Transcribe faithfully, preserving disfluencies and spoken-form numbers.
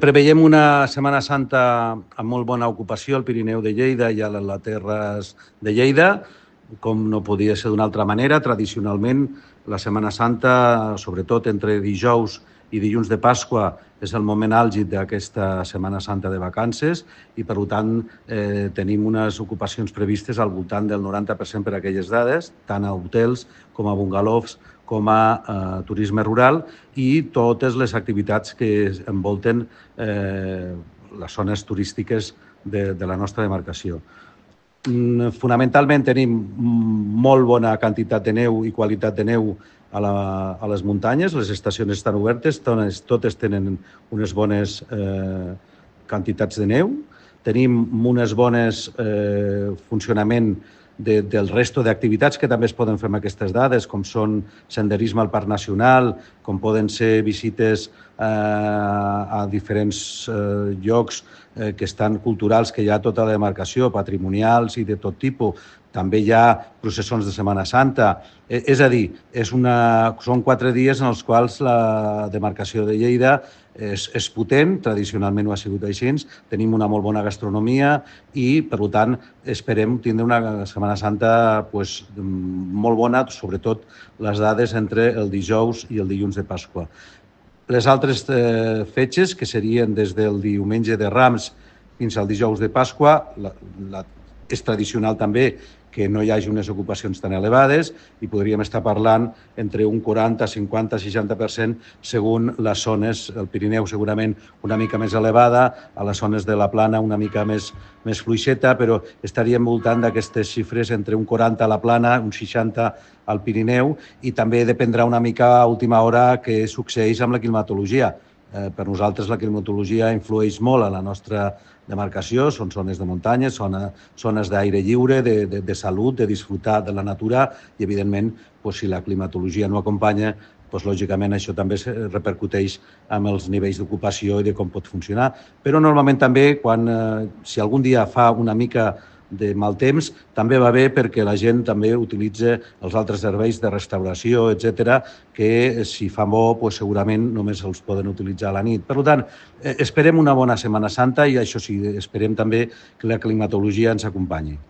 Preveiem una Setmana Santa amb molt bona ocupació al Pirineu de Lleida i a les Terres de Lleida, com no podia ser d'una altra manera. Tradicionalment, la Setmana Santa, sobretot entre dijous i dilluns de Pasqua, és el moment àlgid d'aquesta Setmana Santa de vacances i, per tant, eh, tenim unes ocupacions previstes al voltant del noranta per cent per aquelles dades, tant a hotels com a bungalows, com a eh, turisme rural i totes les activitats que envolten eh, les zones turístiques de, de la nostra demarcació. Fonamentalment tenim molt bona quantitat de neu i qualitat de neu a, la, a les muntanyes, les estacions estan obertes, totes, totes tenen unes bones eh, quantitats de neu, tenim unes bones eh, funcionament de, del resto d'activitats que també es poden fer amb aquestes dades, com són senderisme al Parc Nacional, com poden ser visites eh, a diferents eh, llocs eh, que estan culturals, que hi ha tota la demarcació, patrimonials i de tot tipus. També hi ha processons de Setmana Santa. Eh, és a dir, és una, són quatre dies en els quals la demarcació de Lleida és, és potent, tradicionalment ho ha sigut així, tenim una molt bona gastronomia i, per tant, esperem tindre una Setmana Santa pues, molt bona, sobretot les dades entre el dijous i el dilluns de Pasqua. Les altres eh, fetges, que serien des del diumenge de Rams fins al dijous de Pasqua, la, la, és tradicional també que no hi hagi unes ocupacions tan elevades i podríem estar parlant entre un quaranta, cinquanta, seixanta per cent segons les zones. El Pirineu segurament una mica més elevada, a les zones de la Plana una mica més, més fluixeta, però estaríem voltant d'aquestes xifres entre un quaranta a la Plana, un seixanta al Pirineu i també dependrà una mica a última hora què succeeix amb la climatologia. Eh, per nosaltres la climatologia influeix molt a la nostra demarcació, són zones de muntanya, zona, zones d'aire lliure, de, de, de salut, de disfrutar de la natura i, evidentment, pues, si la climatologia no acompanya, pues, lògicament això també repercuteix amb els nivells d'ocupació i de com pot funcionar. Però normalment també, quan, eh, si algun dia fa una mica de mal temps, també va bé perquè la gent també utilitza els altres serveis de restauració, etcètera, que si fa bo, pues, segurament només els poden utilitzar a la nit. Per tant, esperem una bona Setmana Santa i això sí, esperem també que la climatologia ens acompanyi.